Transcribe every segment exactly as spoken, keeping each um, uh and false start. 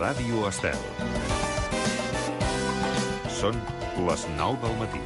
Ràdio Estel. Són les nou del matí.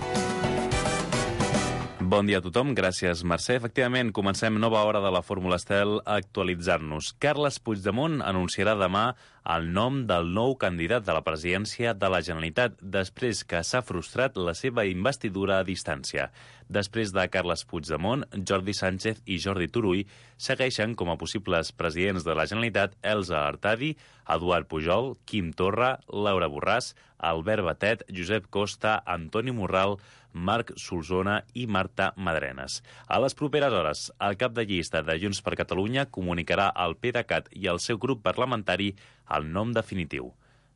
Bon dia a tothom, gràcies Mercè. Efectivament, comencem nova hora de la Fórmula Estel a actualitzar-nos. Carles Puigdemont anunciarà demà el nom del nou candidat de la presidència de la Generalitat, després que s'ha frustrat la seva investidura a distància. Després de Carles Puigdemont, Jordi Sánchez i Jordi Turull segueixen com a possibles presidents de la Generalitat Elsa Artadi, Eduard Pujol, Quim Torra, Laura Borràs, Albert Batet, Josep Costa, Antoni Morral, Marc Solsona i Marta Madrenes. A les properes hores, el cap de llista de Junts per Catalunya comunicarà al PDeCAT i al seu grup parlamentari el nom definitiu.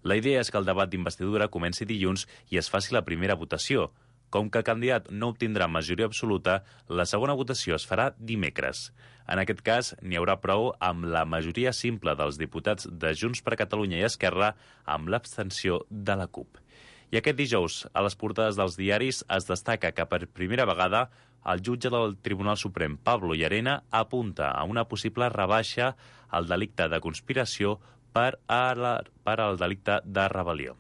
La idea és que el debat d'investidura comenci dilluns i es faci la primera votació. Com que el candidat no obtindrà majoria absoluta, la segona votació es farà dimecres. En aquest cas, n'hi haurà prou amb la majoria simple dels diputats de Junts per Catalunya i Esquerra amb l'abstenció de la CUP. I aquest dijous, a les portades dels diaris, es destaca que per primera vegada el jutge del Tribunal Suprem, Pablo Llarena, apunta a una possible rebaixa al delicte de conspiració per, a la, per al delicte de rebel·lió.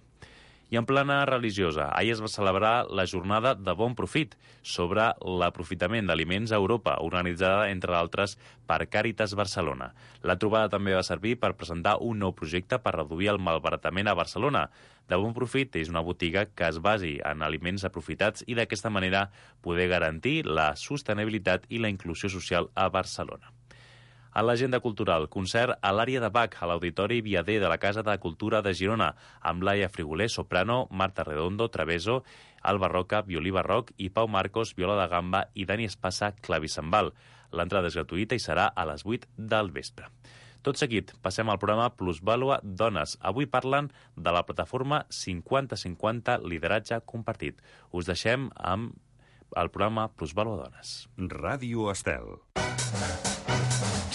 I en plana religiosa, ahir es va celebrar la jornada de Bon Profit sobre l'aprofitament d'aliments a Europa, organitzada, entre altres, per Càritas Barcelona. La trobada també va servir per presentar un nou projecte per reduir el malbaratament a Barcelona. De Bon Profit és una botiga que es basi en aliments aprofitats i d'aquesta manera poder garantir la sostenibilitat i la inclusió social a Barcelona. A l'agenda cultural, concert a l'àrea de Bach, a l'Auditori Viader de la Casa de Cultura de Girona, amb Laia Frigoler, soprano, Marta Redondo, traveso, Alba Roca, violí barroc, i Pau Marcos, viola de gamba, i Dani Espasa, clavicembal. L'entrada és gratuïta i serà a les vuit del vespre. Tot seguit, passem al programa Plusvàlua Dones. Avui parlen de la plataforma cinquanta cinquanta Lideratge Compartit. Us deixem amb el programa Plusvàlua Dones. Ràdio Estel.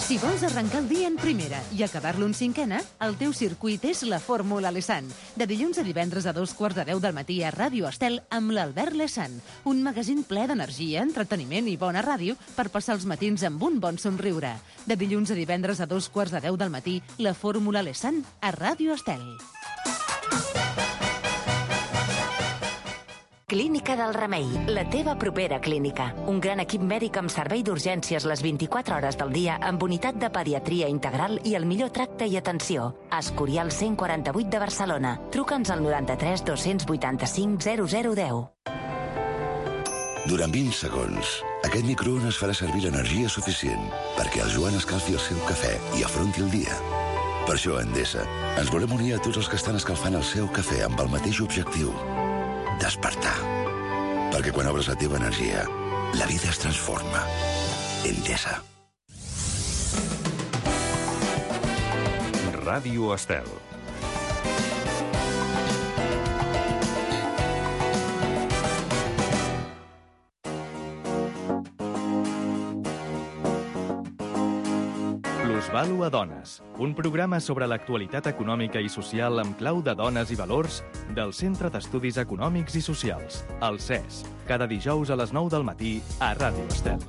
Si vols arrencar el dia en primera i acabar-lo en cinquena, el teu circuit és la Fórmula Lesan. De dilluns a divendres a dos quarts de deu del matí a Ràdio Estel amb l'Albert Lesan. Un magazín ple d'energia, entreteniment i bona ràdio per passar els matins amb un bon somriure. De dilluns a divendres a dos quarts de deu del matí, la Fórmula Lesan a Ràdio Estel. Clínica del Remei, la teva propera clínica. Un gran equip mèdic amb servei d'urgències les vint-i-quatre hores del dia amb unitat de pediatria integral i el millor tracte i atenció. Escorial cent quaranta-vuit de Barcelona. Truca'ns al noranta-tres dos-cents vuitanta-cinc zero zero deu. Durant vint segons, aquest microones farà servir l'energia suficient perquè el Joan escalfi el seu cafè i afronti el dia. Per això, a Endesa, ens volem unir a tots els que estan escalfant el seu cafè amb el mateix objectiu: despertar. Perquè quan obres la teva energia, la vida es transforma. Endesa. Ràdio Estel. Plusvàlua Dones, un programa sobre l'actualitat econòmica i social amb clau de dones i valors del Centre d'Estudis Econòmics i Socials, el C E S, cada dijous a les nou del matí a Ràdio Estel.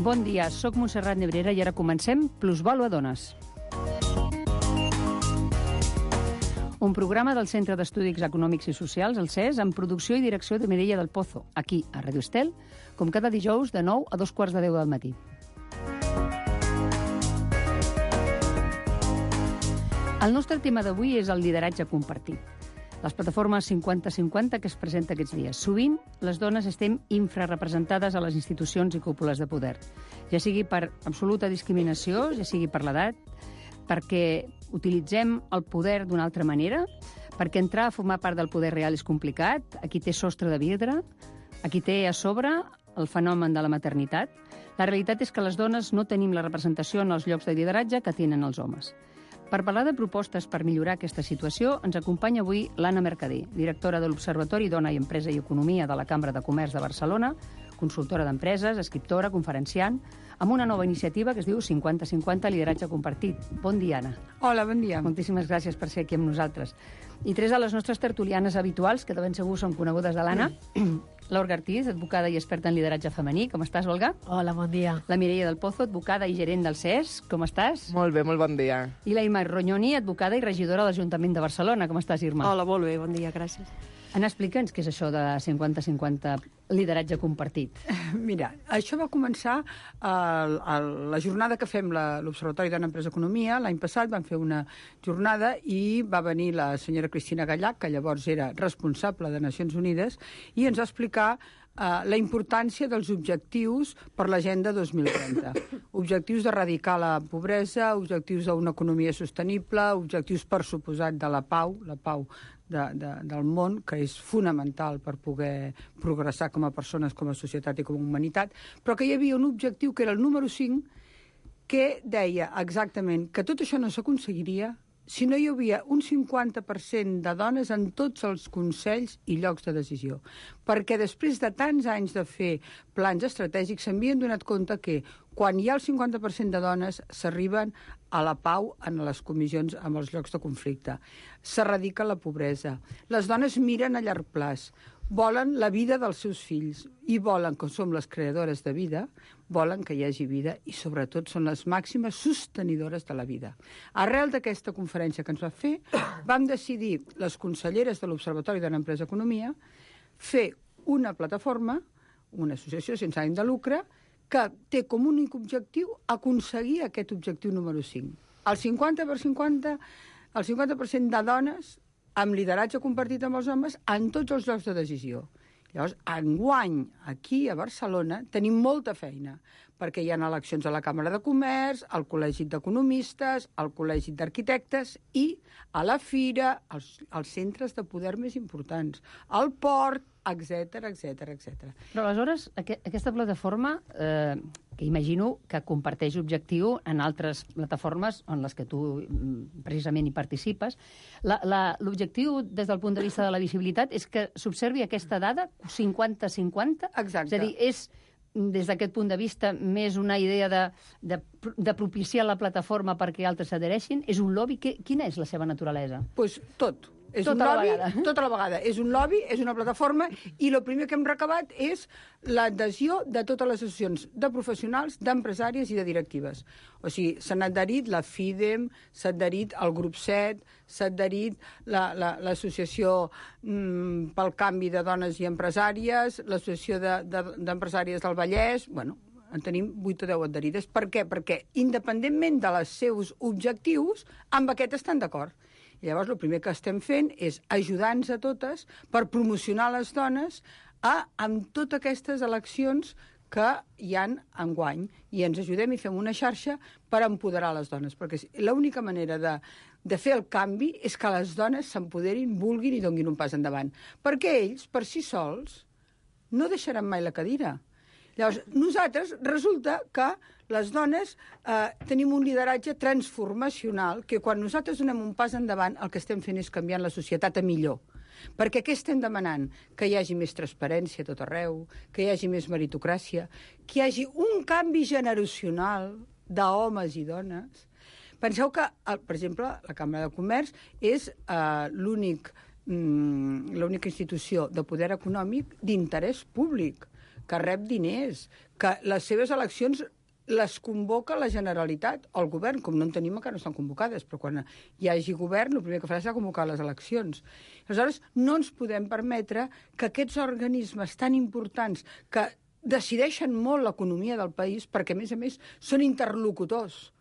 Bon dia, soc Montserrat Nebrera i ara comencem Plusvàlua Dones. Un programa del Centre d'Estudis Econòmics i Socials, el C E S, amb producció i direcció de Mireia del Pozo, aquí, a Ràdio Estel, com cada dijous de nou a dos quarts de deu del matí. El nostre tema d'avui és el lideratge compartit. Les plataformes cinquanta cinquanta que es presenta aquests dies. Sovint, les dones estem infrarrepresentades a les institucions i cúpules de poder, ja sigui per absoluta discriminació, ja sigui per l'edat, perquè utilitzem el poder d'una altra manera, perquè entrar a formar part del poder real és complicat, aquí té sostre de vidre, aquí té a sobre el fenomen de la maternitat. La realitat és que les dones no tenim la representació en els llocs de lideratge que tenen els homes. Per parlar de propostes per millorar aquesta situació, ens acompanya avui l'Anna Mercader, directora de l'Observatori Dona i Empresa i Economia de la Cambra de Comerç de Barcelona, consultora d'empreses, escriptora, conferenciant, amb una nova iniciativa que es diu cinquanta cinquanta Lideratge Compartit. Bon dia, Anna. Hola, bon dia. Moltíssimes gràcies per ser aquí amb nosaltres. I tres de les nostres tertulianes habituals, que de ben segur són conegudes de l'Anna, mm. L'Olga Ortiz, advocada i experta en lideratge femení. Com estàs, Olga? Hola, bon dia. La Mireia del Pozo, advocada i gerent del C E S. Com estàs? Molt bé, molt bon dia. I la Imma Rognoni, advocada i regidora de l'Ajuntament de Barcelona. Com estàs, Irma? Hola, molt bé, bon dia, gràcies. Anna, explica'ns què és això de cinquanta cinquanta lideratge compartit. Mira, això va començar a, a la jornada que fem la, l'Observatori de l'Empresa Economia. L'any passat vam fer una jornada i va venir la senyora Cristina Gallac, que llavors era responsable de Nacions Unides, i ens va explicar Uh, la importància dels objectius per l'Agenda dos mil trenta. Objectius d'erradicar la pobresa, objectius d'una economia sostenible, objectius, per suposat, de la pau, la pau de, de, del món, que és fonamental per poder progressar com a persones, com a societat i com a humanitat, però que hi havia un objectiu que era el número cinc, que deia exactament que tot això no s'aconseguiria si no hi havia un cinquanta per cent de dones en tots els consells i llocs de decisió. Perquè després de tants anys de fer plans estratègics s'havien donat compte que quan hi ha el cinquanta per cent de dones s'arriben a la pau en les comissions, en els llocs de conflicte. S'erradica la pobresa. Les dones miren a llarg plaç, volen la vida dels seus fills i volen, com som les creadores de vida, volen que hi hagi vida i sobretot són les màximes sostenidores de la vida. Arrel d'aquesta conferència que ens va fer, vam decidir, les conselleres de l'Observatori de l'Empresa Economia, fer una plataforma, una associació sense ànim de lucre, que té com únic objectiu aconseguir aquest objectiu número cinc. El cinquanta per cinquanta, el cinquanta per cent de dones amb lideratge compartit amb els homes en tots els llocs de decisió. Llavors, enguany, aquí a Barcelona, tenim molta feina, perquè hi ha eleccions a la Càmera de Comerç, al Col·legi d'Economistes, al Col·legi d'Arquitectes i a la Fira, als, als centres de poder més importants, al port, etcètera, etcètera, etcètera. Però aleshores, aqu aquesta plataforma, eh, que imagino que comparteix objectiu en altres plataformes en les que tu precisament hi participes, l'objectiu des del punt de vista de la visibilitat és que s'observi aquesta dada cinquanta cinquanta? Exacte. És a dir, és des d'aquest punt de vista més una idea de, de, de propiciar la plataforma perquè altres s'adhereixin? És un lobby? Que, quina és la seva naturalesa? Doncs pues tot. És tota un lobby, la vegada. Tota la vegada. És un lobby, és una plataforma, i el primer que hem recabat és l'adhesió de totes les associacions de professionals, d'empresàries i de directives. O sigui, s'han adherit la FIDEM, s'ha adherit el grup set, s'ha adherit l'associació la, la, mm, pel canvi de dones i empresàries, l'associació d'empresàries de, de, del Vallès, bueno, en tenim vuit o deu adherides. Per què? Perquè, independentment dels seus objectius, amb aquest estan d'acord. I llavors el primer que estem fent és ajudar-nos a totes per promocionar les dones a, amb totes aquestes eleccions que hi han enguany. I ens ajudem i fem una xarxa per empoderar les dones, perquè l'única manera de, de fer el canvi és que les dones s'empoderin, vulguin i donguin un pas endavant. Perquè ells, per si sols, no deixaran mai la cadira. Llavors, nosaltres resulta que les dones eh, tenim un lideratge transformacional que quan nosaltres donem un pas endavant el que estem fent és canviant la societat a millor. Perquè què estem demanant? Que hi hagi més transparència a tot arreu, que hi hagi més meritocràcia, que hi hagi un canvi generacional d'homes i dones. Penseu que, per exemple, la Càmera de Comerç és eh, l'únic mm, l'única institució de poder econòmic d'interès públic, que rep diners, que les seves eleccions les convoca la Generalitat o el govern, com no en tenim encara no estan convocades, però quan hi hagi govern el primer que farà serà convocar les eleccions. Aleshores, no ens podem permetre que aquests organismes tan importants que decideixen molt l'economia del país, perquè a més a més són interlocutors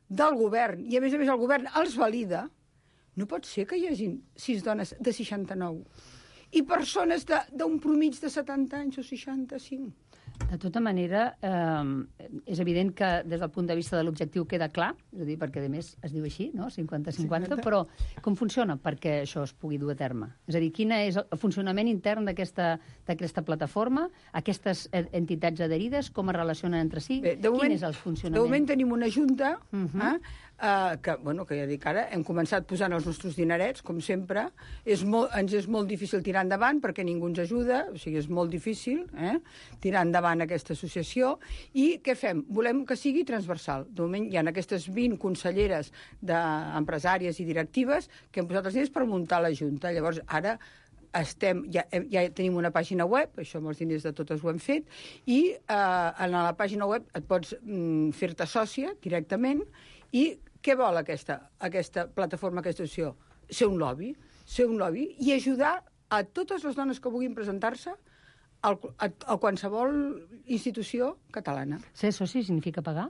del govern, i a més a més el govern els valida, no pot ser que hi hagi sis dones de seixanta-nou i persones d'un promig de setanta anys o seixanta-cinc. De tota manera, eh, és evident que des del punt de vista de l'objectiu queda clar, és a dir, perquè a més es diu així, no? cinquanta cinquanta, però com funciona perquè això es pugui dur a terme? És a dir, quin és el funcionament intern d'aquesta plataforma, aquestes entitats adherides, com es relacionen entre si? Bé, de moment, quin és el funcionament? De moment tenim una junta, uh -huh. eh, uh, que, bueno, que ja dic ara, hem començat posant els nostres dinerets, com sempre. És molt, ens és molt difícil tirar endavant perquè ningú ens ajuda, o sigui, és molt difícil eh, tirar endavant aquesta associació. I què fem? Volem que sigui transversal. De moment hi ha aquestes vint conselleres d'empresàries i directives que hem posat els diners per muntar la Junta. Llavors, ara estem, ja, ja tenim una pàgina web, això amb els diners de totes ho hem fet, i eh, en la pàgina web et pots mm, fer-te sòcia directament. I què vol aquesta, aquesta plataforma, aquesta associació? Ser un lobby, ser un lobby i ajudar a totes les dones que vulguin presentar-se a, a, a qualsevol institució catalana. Ser soci significa pagar?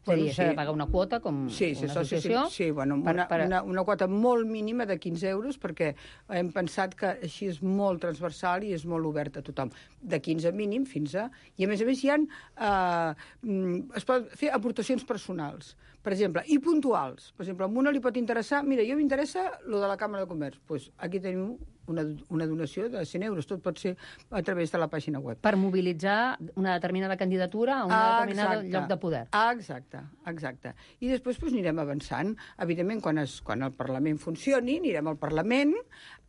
És Bueno, a dir, s'ha sí. de pagar una quota com Sí, sí, una soci, sí, associació? sí, bueno, per- una, per- una, una quota molt mínima de quinze euros, perquè hem pensat que així és molt transversal i és molt obert a tothom. De quinze mínim fins a... I a més a més hi ha... Eh, mm, es pot fer aportacions personals, per exemple, i puntuals. Per exemple, a una li pot interessar... Mira, jo m'interessa lo de la Càmera de Comerç. Doncs pues aquí tenim una, una donació de cent euros. Tot pot ser a través de la pàgina web. Per mobilitzar una determinada candidatura a un Ah, determinat exacte. lloc de poder. Ah, exacte, exacte. I després doncs, anirem avançant. Evidentment, quan, es, quan el Parlament funcioni, anirem al Parlament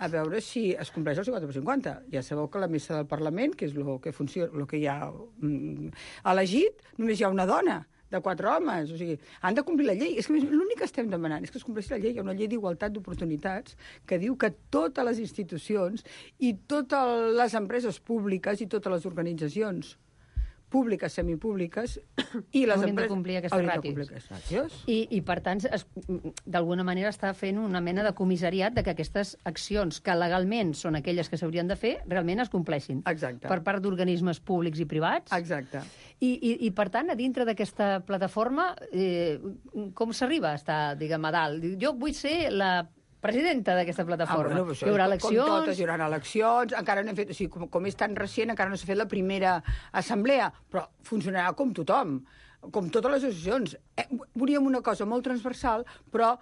a veure si es compleix el cinquanta per cinquanta. Ja sabeu que la mesa del Parlament, que és el que, funciona, el que hi ha mm, elegit, només hi ha una dona de quatre homes, o sigui, han de complir la llei. És que l'únic que estem demanant és que es compleixi la llei. Hi ha una llei d'igualtat d'oportunitats que diu que totes les institucions i totes les empreses públiques i totes les organitzacions públiques, semipúbliques, i les Haurien de empreses... complir aquestes haurien de ràtios. complir aquestes ràtios. I, I, per tant, es- d'alguna manera està fent una mena de comissariat de que aquestes accions, que legalment són aquelles que s'haurien de fer, realment es compleixin. Exacte. Per part d'organismes públics i privats. Exacte. I, i, I, per tant, a dintre d'aquesta plataforma, eh, com s'arriba a estar, diguem, a dalt? Jo vull ser la presidenta d'aquesta plataforma. Ah, bueno, això, Hi haurà com eleccions... totes, hi haurà eleccions, encara no hem fet, o sigui, com, com és tan recient, encara no s'ha fet la primera assemblea, però funcionarà com tothom, com totes les associacions. Eh, volíem una cosa molt transversal, però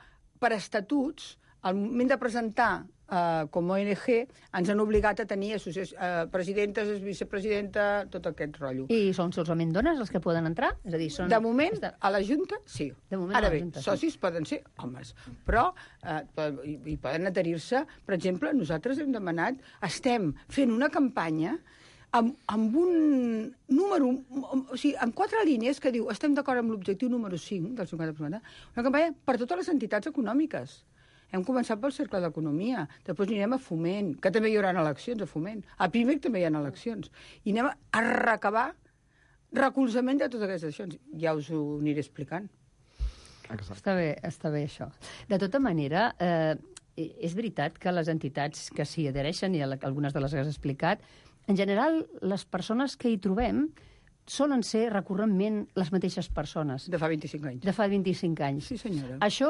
per estatuts, al moment de presentar eh, com a O N G, ens han obligat a tenir associacions, eh, presidentes, vicepresidenta, tot aquest rotllo. I són solament dones els que poden entrar? És a dir, són... De moment, a la Junta, sí. De moment, Ara a la bé, Junta, sí. socis poden ser homes, però eh, poden- i, i poden adherir-se. Per exemple, nosaltres hem demanat, estem fent una campanya amb, amb un número, o sigui, amb quatre línies que diu estem d'acord amb l'objectiu número cinc del cinquanta per cent, una campanya per totes les entitats econòmiques. Hem començat pel Cercle d'Economia, després anirem a Foment, que també hi haurà eleccions a Foment, a Pimec també hi ha eleccions, i anem a recabar recolzament de totes aquestes accions. Ja us ho aniré explicant. Està bé, està bé això. De tota manera, eh, és veritat que les entitats que s'hi adhereixen, i algunes de les que has explicat, en general, les persones que hi trobem solen ser recurrentment les mateixes persones. De fa vint-i-cinc anys. De fa vint-i-cinc anys. Sí, senyora. Això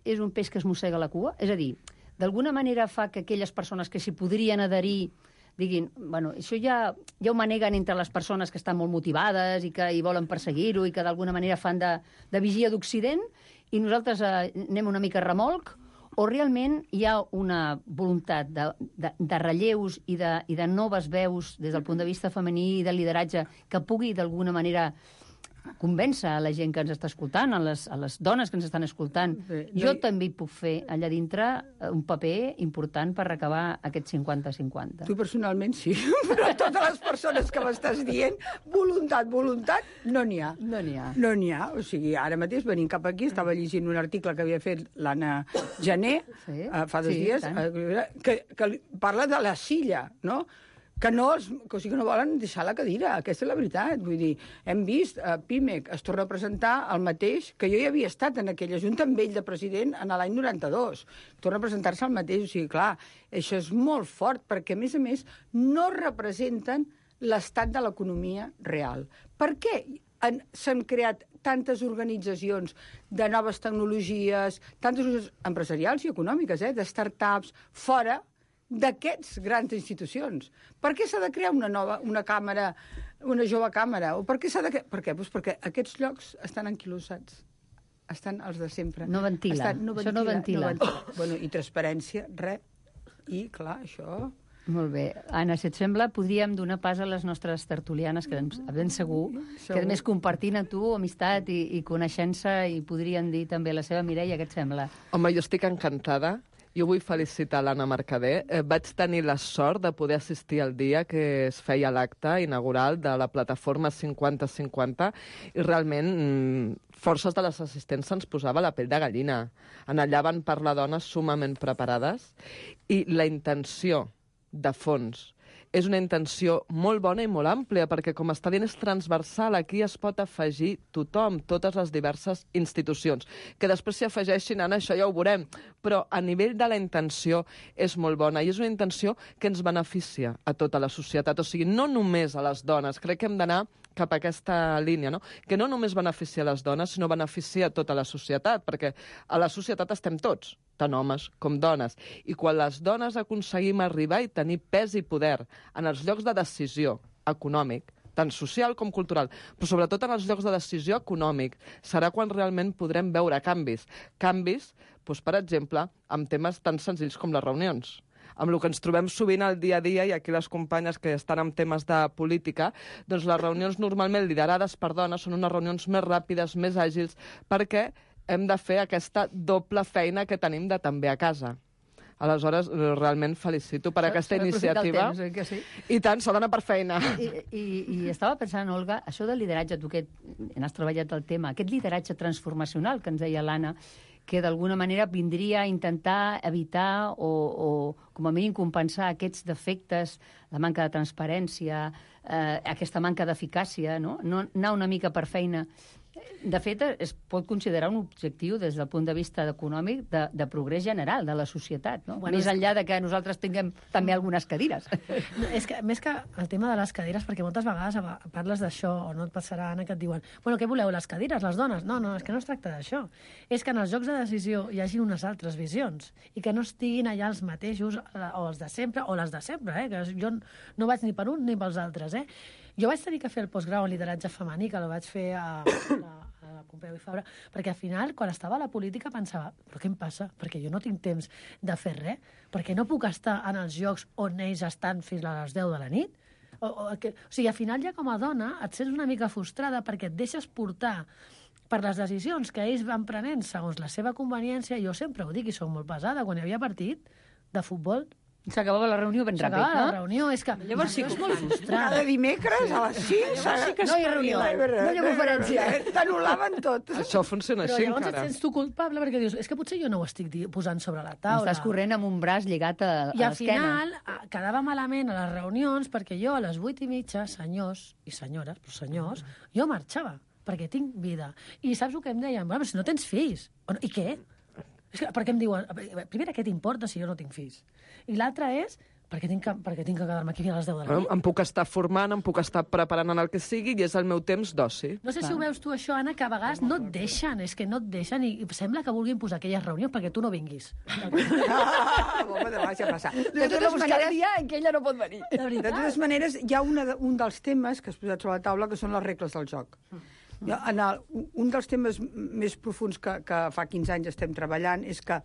és un peix que es mossega la cua? És a dir, d'alguna manera fa que aquelles persones que s'hi podrien adherir diguin, bueno, això ja, ja ho maneguen entre les persones que estan molt motivades i que hi volen perseguir-ho i que d'alguna manera fan de, de vigia d'Occident i nosaltres eh, anem una mica a remolc, o realment hi ha una voluntat de, de, de relleus i de, i de noves veus des del punt de vista femení i de lideratge que pugui d'alguna manera convèncer a la gent que ens està escoltant, a les, a les dones que ens estan escoltant. Bé, no Jo hi- també hi puc fer allà dintre un paper important per recabar aquest cinquanta cinquanta. Tu personalment sí, però totes les persones que m'estàs dient, voluntat, voluntat, no n'hi ha. No n'hi ha. No n'hi ha. O sigui, ara mateix venint cap aquí, estava llegint un article que havia fet l'Anna Gené Sí, eh, fa dos sí, dies, tant. eh, que, que li- parla de la silla, no?, que no, els, que, o sigui, que no volen deixar la cadira. Aquesta és la veritat. Vull dir, hem vist a Pimec es torna a presentar el mateix, que jo ja havia estat en aquella junta amb ell de president en l'any noranta-dos. Torna a presentar-se el mateix. O sigui, clar, això és molt fort, perquè, a més a més, no representen l'estat de l'economia real. Per què han- s'han creat tantes organitzacions de noves tecnologies, tantes organitzacions empresarials i econòmiques, eh, de start-ups, fora d'aquests grans institucions? Per què s'ha de crear una nova, una càmera, una jove càmera? O per què s'ha de crear? Per què? Pues perquè aquests llocs estan anquilosats. Estan els de sempre. No ventila. Estan, Això no ventila. No ventila. Bueno, i transparència, res. I, clar, això... Molt bé. Anna, si et sembla, podríem donar pas a les nostres tertulianes, que ben, ben segur, que a més compartint a tu amistat i, i coneixença i podrien dir també la seva Mireia, què et sembla? Home, jo estic encantada. Jo vull felicitar l'Anna Mercader. Eh, vaig tenir la sort de poder assistir al dia que es feia l'acte inaugural de la plataforma cinquanta cinquanta i realment mm, forces de les assistents se'ns posava la pell de gallina. En allà van parlar dones sumament preparades i la intenció de fons. És una intenció molt bona i molt àmplia, perquè, com està dient, és transversal. Aquí es pot afegir tothom, totes les diverses institucions. Que després s'hi afegeixin, Anna, això ja ho veurem. Però a nivell de la intenció és molt bona, i és una intenció que ens beneficia a tota la societat. O sigui, no només a les dones. Crec que hem d'anar cap a aquesta línia, no? Que no només beneficia a les dones, sinó beneficia a tota la societat, perquè a la societat estem tots, tant homes com dones. I quan les dones aconseguim arribar i tenir pes i poder en els llocs de decisió econòmic, tant social com cultural, però sobretot en els llocs de decisió econòmic, serà quan realment podrem veure canvis. Canvis, doncs, per exemple, amb temes tan senzills com les reunions. Amb el que ens trobem sovint al dia a dia, i aquí les companyes que estan en temes de política, doncs les reunions normalment liderades per dones són unes reunions més ràpides, més àgils, perquè hem de fer aquesta doble feina que tenim de també a casa. Aleshores, realment felicito per aquesta iniciativa. Temps, oi que sí? I tant, s'ha d'anar per feina. I, i, I estava pensant, Olga, això del lideratge, tu que has treballat el tema, aquest lideratge transformacional que ens deia l'Anna, que d'alguna manera vindria a intentar evitar o, o com a mínim compensar aquests defectes, la manca de transparència, eh, aquesta manca d'eficàcia, no? no? Anar una mica per feina. De fet, es pot considerar un objectiu des del punt de vista econòmic de, de progrés general de la societat, no? Bueno, més enllà de que nosaltres tinguem també algunes cadires. No, és que, més que el tema de les cadires, perquè moltes vegades parles d'això, o no et passarà, Anna, que et diuen bueno, què voleu, les cadires, les dones? No, no, és que no es tracta d'això. És que en els jocs de decisió hi hagi unes altres visions i que no estiguin allà els mateixos, o els de sempre, o les de sempre, eh? Que jo no vaig ni per un ni pels altres, eh? Jo vaig tenir que fer el postgrau en lideratge femení, que el vaig fer a, a, a Pompeu i Fabra, perquè al final, quan estava a la política, pensava, però què em passa? Perquè jo no tinc temps de fer res, perquè no puc estar en els llocs on ells estan fins a les deu de la nit. O, o, que, o sigui, al final ja com a dona et sents una mica frustrada perquè et deixes portar per les decisions que ells van prenent segons la seva conveniència. Jo sempre ho dic i soc molt pesada, quan hi havia partit de futbol, s'acabava la reunió ben ràpid, no? S'acabava la reunió, és que llavors sí que és molt frustrant. Cada dimecres a les cinc sí que no hi ha reunió, no hi ha conferència. T'anul·laven tot. Això funciona Però així llavors encara. et sents tu culpable perquè dius, és que potser jo no ho estic posant sobre la taula. Estàs corrent amb un braç lligat a, a I al l'esquena. final quedava malament a les reunions perquè jo a les vuit i mitja, senyors i senyores, però senyors, jo marxava perquè tinc vida. I saps el que em deien? Bueno, si no tens fills. I què? És que, perquè em diuen, primera, què t'importa si jo no tinc fills? I l'altra és, perquè tinc que, perquè tinc que quedar-me aquí fins a les deu de la nit. Em puc estar formant, em puc estar preparant en el que sigui, i és el meu temps d'oci. No sé si ho veus tu, això, Anna, que a vegades no et deixen, és que no et deixen, i sembla que vulguin posar aquelles reunions perquè tu no vinguis. Ah, bomba de baixa passar. De totes maneres, en què ella no pot venir. De de veritat. totes maneres, hi ha una, un dels temes que has posat sobre la taula que són les regles del joc. Jo, en el, un dels temes més profuns que, que fa quinze anys estem treballant és que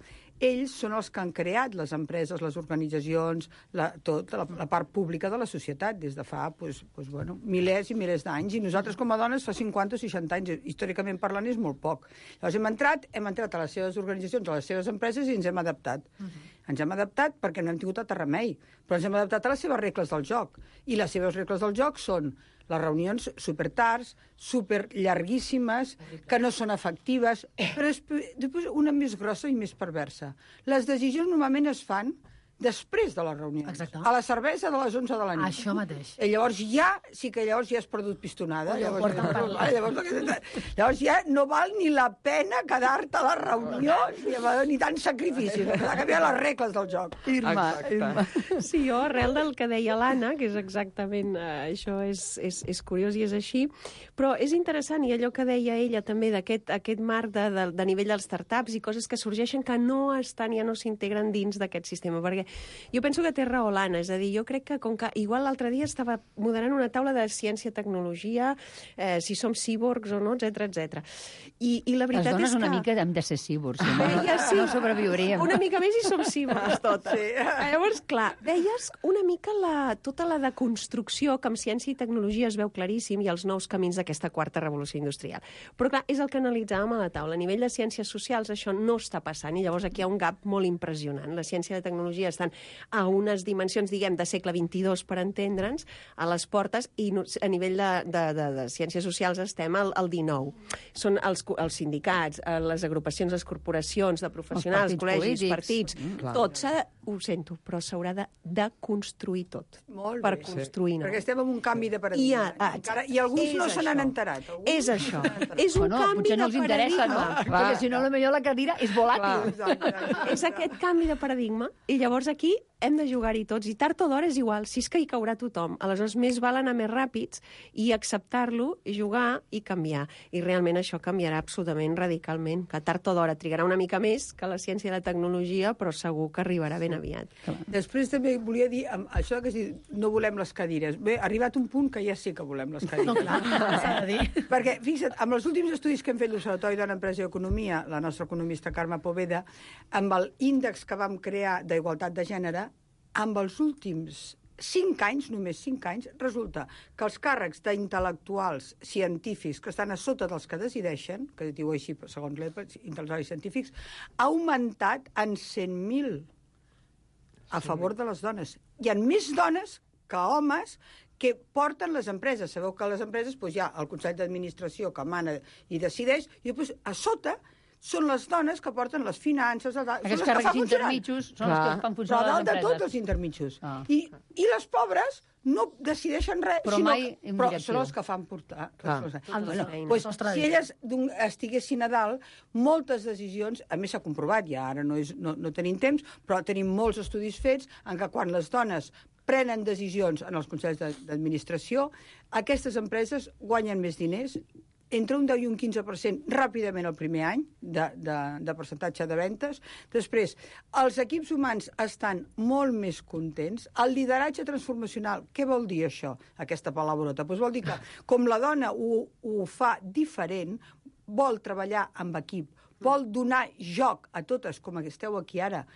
ells són els que han creat les empreses, les organitzacions, la, tot, la, la part pública de la societat des de fa pues, pues, bueno, milers i milers d'anys, i nosaltres com a dones fa cinquanta o seixanta anys, històricament parlant és molt poc. Llavors hem entrat, hem entrat a les seves organitzacions, a les seves empreses, i ens hem adaptat. Uh-huh. Ens hem adaptat perquè no hem tingut altre remei, però ens hem adaptat a les seves regles del joc, i les seves regles del joc són les reunions super tards, super llarguíssimes, que no són efectives, però després una més grossa i més perversa. Les decisions normalment es fan després de les reunions. Exacte. A la cervesa de les onze de la nit. Això mateix. I llavors ja, sí que llavors ja has perdut pistonada. Oi, Llavors, porta llavors, llavors, llavors ja no val ni la pena quedar-te a les reunions, ni, ni tant sacrifici. Ha canviat les regles del joc. Irma, Irma. Sí, jo, arrel del que deia l'Anna, que és exactament, eh, això és, és, és curiós i és així, però és interessant, i allò que deia ella també d'aquest aquest marc de, de, de nivell dels startups i coses que sorgeixen que no estan, ja no s'integren dins d'aquest sistema, perquè jo penso que té raó l'Anna, és a dir, jo crec que com que igual l'altre dia estava moderant una taula de ciència, tecnologia, eh, si som cíborgs o no, etcètera, etcètera. I, i la veritat les dones és que... una mica hem de ser cíborgs, si no, ja, sí. no sobreviuríem. Una mica més i som cíborgs totes. Sí. Llavors, clar, veies una mica la, tota la deconstrucció que amb ciència i tecnologia es veu claríssim i els nous camins d'aquesta quarta revolució industrial. Però clar, és el que analitzàvem a la taula. A nivell de ciències socials això no està passant i llavors aquí hi ha un gap molt impressionant. La ciència i la tecnologia estan a unes dimensions, diguem, de segle vint-i-dos, per entendre'ns, a les portes, i a nivell de, de, de, de ciències socials estem al, al dinou. Són els, els sindicats, les agrupacions, les corporacions de professionals, partits col·legis, polítics. partits, Mm, tot s'ha ho sento, però s'haurà de, de construir tot. Molt per bé. construir nou. Perquè estem en un canvi de I, paradigma. ah, Encara, I alguns és no se n'han això. enterat. Alguns És no això. se n'han enterat. És un Bueno, canvi potser no de els interessa, no? paradigma. Perquè si no, potser la cadira és volàtil. Clar. És aquest canvi de paradigma, i llavors aquí hem de jugar-hi tots, i tard o d'hora és igual, si és que hi caurà tothom. Aleshores, més val anar més ràpids i acceptar-lo, jugar i canviar. I realment això canviarà absolutament radicalment, que tard o d'hora trigarà una mica més que la ciència i la tecnologia, però segur que arribarà ben aviat. Després també volia dir, amb això que has dit, no volem les cadires. Bé, ha arribat un punt que ja sí que volem les cadires. No, clar, s'ha de dir. Perquè, fixa't, amb els últims estudis que hem fet l'Observatori Dona, Empresa i Economia, la nostra economista Carme Poveda, amb l'índex que vam crear d'igualtat de gènere, amb els últims cinc anys, només cinc anys, resulta que els càrrecs d'intel·lectuals científics que estan a sota dels que decideixen, que es diu així segons l'E P A, intel·lectuals científics, ha augmentat en cent mil a favor de les dones. Hi ha més dones que homes que porten les empreses. Sabeu que a les empreses doncs, hi ha el Consell d'Administració que mana i decideix, i després a sota són les dones que porten les finances... Els, Aquests càrrecs intermitjos són els que fan funcionar les empreses. Però dalt de empreses. tots els intermitjos. Ah. I, I les pobres no decideixen res, Però sinó mai que, en però directiu. són els que fan portar. Clar. Bueno, pues, si elles d'un- estiguessin a dalt, moltes decisions, a més s'ha comprovat, ja ara no, és, no, no tenim temps, però tenim molts estudis fets en què quan les dones prenen decisions en els consells de- d'administració, aquestes empreses guanyen més diners, entre un deu i un quinze per cent ràpidament el primer any de, de, de percentatge de ventes. Després, els equips humans estan molt més contents. El lideratge transformacional, què vol dir això, aquesta palabrota? Pues vol dir que, com la dona ho, ho fa diferent, vol treballar amb equip, vol donar joc a totes, com esteu aquí ara,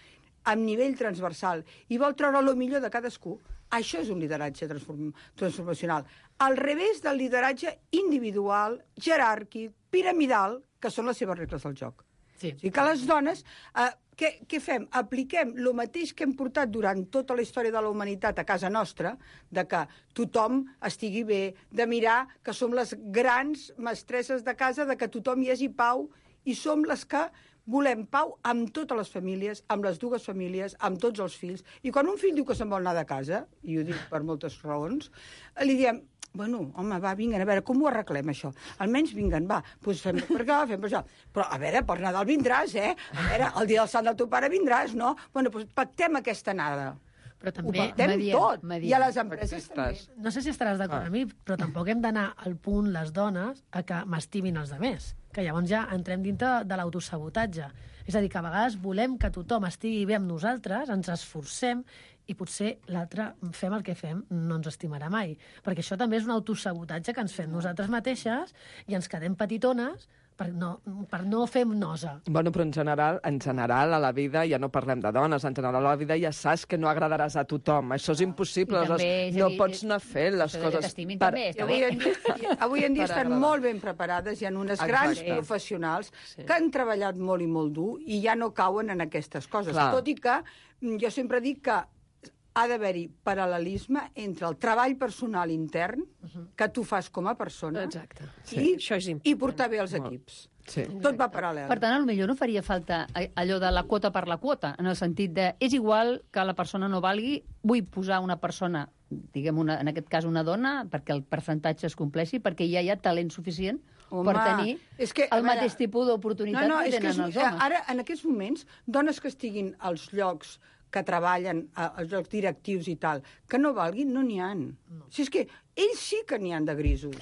amb nivell transversal, i vol treure el millor de cadascú. Això és un lideratge transform transformacional. Al revés del lideratge individual, jeràrquic, piramidal, que són les seves regles del joc. Sí. O sigui que les dones, eh, què, què fem? Apliquem el mateix que hem portat durant tota la història de la humanitat a casa nostra, de que tothom estigui bé, de mirar que som les grans mestresses de casa, de que tothom hi hagi pau, i som les que volem pau amb totes les famílies, amb les dues famílies, amb tots els fills. I quan un fill diu que se'n vol anar de casa, i ho dic per moltes raons, li diem, bueno, home, va, vinguen, a veure, com ho arreglem, això? Almenys vinguen, va, doncs fem per allà, fem per això. Però, a veure, per Nadal vindràs, eh? A veure, el dia del sant del teu pare vindràs, no? Bueno, doncs pactem aquesta anada. Però Ho també... pactem mediem, tot. mediem. I a les empreses també. No sé si estaràs d'acord amb mi, però tampoc hem d'anar al punt, les dones, a que m'estimin els altres. Que llavors ja entrem dintre de l'autosabotatge. És a dir, que a vegades volem que tothom estigui bé amb nosaltres, ens esforcem, i potser l'altre fem el que fem, no ens estimarà mai. Perquè això també és un autosabotatge que ens fem nosaltres mateixes i ens quedem petitones per no, per no fer nosa. Bueno, però en general, en general, a la vida, ja no parlem de dones, en general a la vida ja saps que no agradaràs a tothom. Això és impossible, I també, aleshores és a no dir, pots anar fent les això de que coses... t'estimin també I està avui, bé. en dia, avui en dia Per estan agradar. molt ben preparades, hi ha unes Exacte. grans professionals Sí. que han treballat molt i molt dur i ja no cauen en aquestes coses. Clar. Tot i que mm, jo sempre dic que ha d'haver-hi paral·lelisme entre el treball personal intern que tu fas com a persona Exacte. i, Sí, això és important. i portar bé els equips. Sí. Tot va paral·lel. Per tant, potser no faria falta allò de la quota per la quota, en el sentit de és igual que la persona no valgui, vull posar una persona, diguem, una, en aquest cas una dona, perquè el percentatge es compleixi, perquè ja hi ha talent suficient Home, per tenir és que, a el veure, mateix tipus d'oportunitat no, no, que és tenen és, els homes. Ara, en aquests moments, dones que estiguin als llocs que treballen, a- als llocs directius i tal, que no valguin, no n'hi ha. No. Si és que ells sí que n'hi han de grisos.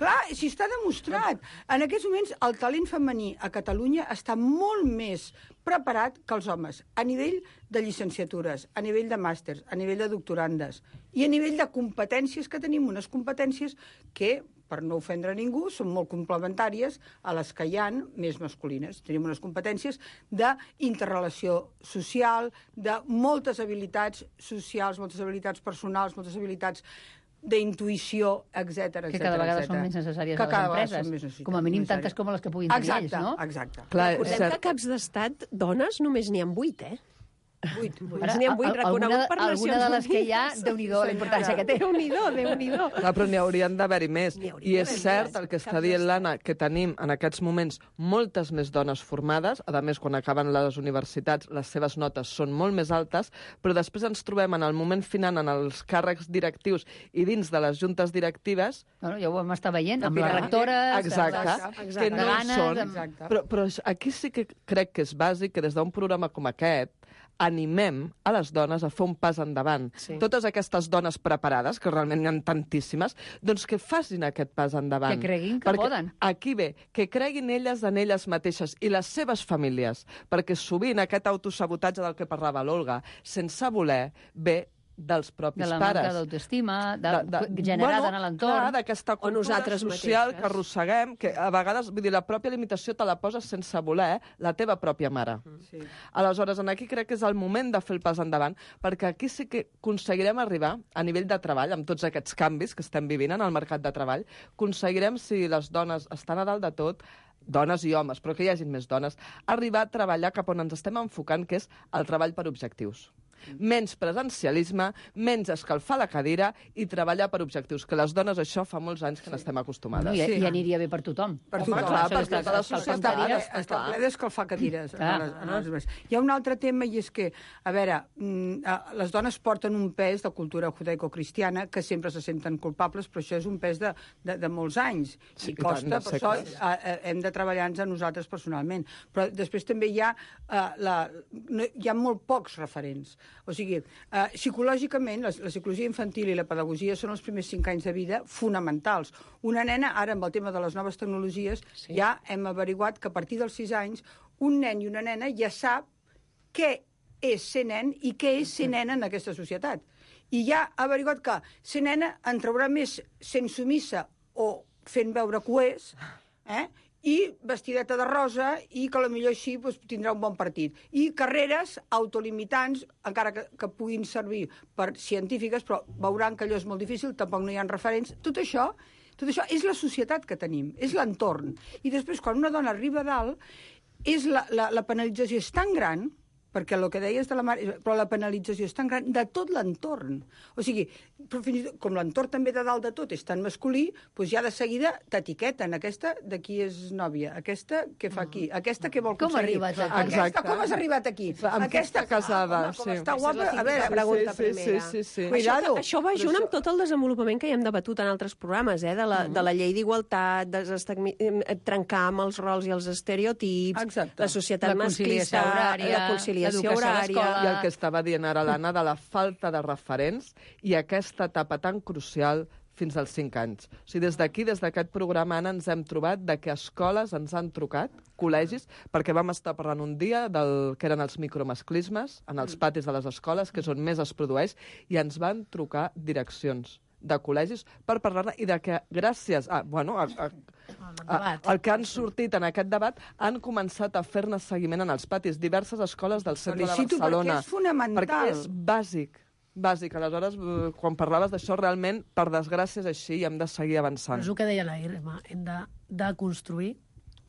Clar, si està demostrat. En aquests moments, el talent femení a Catalunya està molt més preparat que els homes, a nivell de llicenciatures, a nivell de màsters, a nivell de doctorandes, i a nivell de competències, que tenim unes competències que, per no ofendre ningú, són molt complementàries a les que hi han més masculines. Tenim unes competències d'interrelació social, de moltes habilitats socials, moltes habilitats personals, moltes habilitats d'intuïció, etcètera, etcètera. Que cada vegada etcètera. són més necessàries Que a les cada vegada són empreses. més necessàries. Com a mínim tantes com les que puguin tenir Exacte, ells, no? exacte. Clar, és Recordem cert. que caps d'estat, dones, només n'hi ha vuit, eh? Vuit. N'hi ha vuit reconegut per Nacions Unides. Alguna de les que hi ha, Déu-n'hi-do, la importància que té. Déu-n'hi-do, Déu-n'hi-do. Clar, però n'hi haurien d'haver-hi més. I és cert el que està dient l'Anna, que tenim en aquests moments moltes més dones formades, a més, quan acaben les universitats, les seves notes són molt més altes, però després ens trobem en el moment final en els càrrecs directius i dins de les juntes directives... Bueno, ja ho vam estar veient, amb les rectores... Exacte, exacte, que no ganes, són... amb... Però, però aquí sí que crec que és bàsic que des d'un programa com aquest animem a les dones a fer un pas endavant. Sí. Totes aquestes dones preparades, que realment n'hi ha tantíssimes, doncs que facin aquest pas endavant. Que creguin que perquè poden. Aquí ve, que creguin elles en elles mateixes i les seves famílies, perquè sovint aquest autosabotatge del que parlava l'Olga, sense voler, ve dels propis de la pares. manca d'autoestima, de, de, de, generada bueno, en l'entorn. Clar, d'aquesta cultura nosaltres social mateixes. que arrosseguem, que a vegades, vull dir, la pròpia limitació te la poses sense voler, la teva pròpia mare. Sí. Aleshores, en aquí crec que és el moment de fer el pas endavant, perquè aquí sí que aconseguirem arribar a nivell de treball, amb tots aquests canvis que estem vivint en el mercat de treball, aconseguirem, si les dones estan a dalt de tot, dones i homes, però que hi hagin més dones, arribar a treballar cap on ens estem enfocant, que és el treball per objectius. Menys presencialisme, menys escalfar la cadira i treballar per objectius, que les dones això fa molts anys que n'estem acostumades. No, i, Sí. I aniria bé per tothom. Per Home, tothom. clar, per Està- tota la està- societat, està ple- està Està clar. ple d'escalfar cadires. Clar. En les, en les meses. Hi ha un altre tema, i és que, a veure, mm, eh, les dones porten un pes de cultura judaico-cristiana que sempre se senten culpables, però això és un pes de, de, de molts anys. Sí, I i tant, costa, de per això segles. eh, eh, hem de treballar-nos a nosaltres personalment. Però després també hi ha, eh, la, no, hi ha molt pocs referents. O sigui, eh, psicològicament, la, la psicologia infantil i la pedagogia són els primers cinc anys de vida fonamentals. Una nena, ara amb el tema de les noves tecnologies, sí. ja hem averiguat que a partir dels sis anys un nen i una nena ja sap què és ser nen i què és ser nena en aquesta societat. I ja ha averiguat que ser nena en traurà més sent sumissa o fent veure que ho és, eh? i vestideta de rosa, i que potser així doncs, tindrà un bon partit. I carreres autolimitants, encara que, que puguin servir per científiques, però veuran que allò és molt difícil, tampoc no hi ha referents. Tot això, tot això és la societat que tenim, és l'entorn. I després, quan una dona arriba a dalt, és la, la, la penalització és tan gran, perquè el que deies de la mare, però la penalització és tan gran de tot l'entorn. O sigui, però fins i tot, com l'entorn també de dalt de tot és tan masculí, doncs ja de seguida t'etiqueten. Aquesta de qui és nòvia, aquesta què fa aquí, aquesta què vol Com ha aconseguir. arribat aquí? Aquesta, Exacte. com has arribat aquí? Amb qui està casada, ah, home, com sí. està Aquesta és guapa. la A veure, típica pregunta sí, sí, primera. sí, sí, sí. Cuidado. Això, això va Però junt això- amb tot el desenvolupament que ja hem debatut en altres programes, eh? de, la, Mm. de la llei d'igualtat, desestagmi- eh, trencar amb els rols i els estereotips, Exacte. la societat La conciliació masclista, horària, la conciliació l'educació a horària... l'escola. I el que estava dient ara l'Anna de la falta de referents i aquesta etapa tan crucial fins als cinc anys. O sigui, des d'aquí, des d'aquest programa, Anna, ens hem trobat de que escoles ens han trucat, col·legis, perquè vam estar parlant un dia del que eren els micromasclismes en els patis de les escoles, que és on més es produeix, i ens van trucar direccions de col·legis per parlar-ne i de que gràcies a, bueno, a, a, a, el que han sortit en aquest debat han començat a fer-ne seguiment en els patis. Diverses escoles del centre de Felicito Barcelona. perquè és fonamental. Perquè és bàsic. Bàsic. Aleshores, eh, quan parlaves d'això, realment, per desgràcia, és així i hem de seguir avançant. És el que deia la Irma, hem de, de construir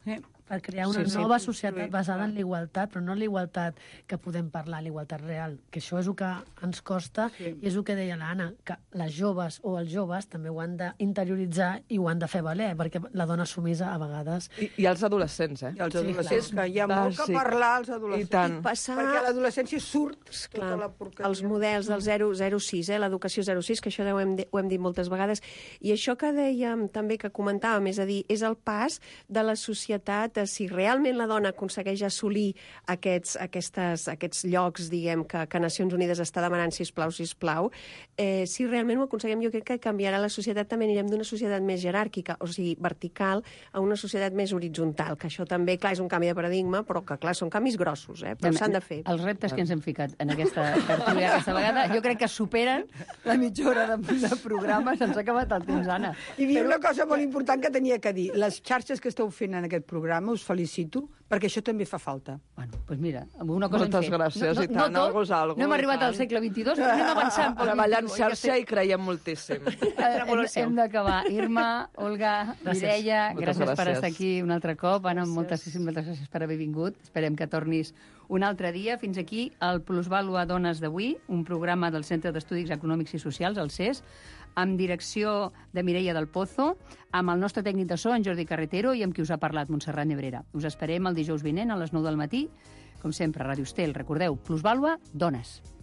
Sí. per crear una Sí, sí, nova construir, societat basada en la igualtat, però no en la igualtat que podem parlar, la igualtat real, que això és el que ens costa, Sí. i és el que deia l'Anna, que les joves o els joves també ho han d'interioritzar i ho han de fer valer, perquè la dona sumisa a vegades... I, I els adolescents, eh? I els Sí, adolescents, clar. que hi ha molt que Bàsic. parlar als adolescents. I tant. I passar... Perquè a l'adolescència surt Clar, tota la porqueria. els models del zero zero sis, eh, l'educació zero sis, que això ho hem, ho hem dit moltes vegades, i això que dèiem també, que comentàvem, és a dir, és el pas de la societat, a si realment la dona aconsegueix assolir aquests, aquestes, aquests llocs, diguem, que, que Nacions Unides està demanant, sisplau, sisplau, eh, si realment ho aconseguim, jo crec que canviarà la societat, també anirem d'una societat més jeràrquica, o sigui, vertical, a una societat més horitzontal, que això també, clar, és un canvi de paradigma, però que, clar, són canvis grossos, eh, però s'han de fer. Els reptes que ens hem ficat en aquesta tertúlia aquesta vegada, jo crec que superen la mitja hora de, de programa. Se'ns ha acabat el temps, Anna. I hi havia una cosa molt important que tenia que dir. Les xarxes que esteu fent en aquest programa programa, us felicito, perquè això també fa falta. Bueno, doncs mira, una cosa Moltes hem fet. gràcies, no, i tant, no, algo és algo. No hem i arribat tant. al segle vint-i-dos, però anem avançant. pel Treballar en vint-i-u, xarxa ja i creiem moltíssim. Hem, hem d'acabar. Irma, Olga, Gràcies. Mireia, Moltes gràcies per gràcies. estar aquí un altre cop. Anna, moltes, moltes gràcies per haver vingut. Esperem que tornis un altre dia. Fins aquí el Plusvàlua Dones d'avui, un programa del Centre d'Estudis Econòmics i Socials, el C E S, amb direcció de Mireia del Pozo, amb el nostre tècnic de so, en Jordi Carretero, i amb qui us ha parlat, Montserrat Nebrera. Us esperem el dijous vinent a les nou del matí, com sempre, a Ràdio Estel. Recordeu, Plusvàlua Dones.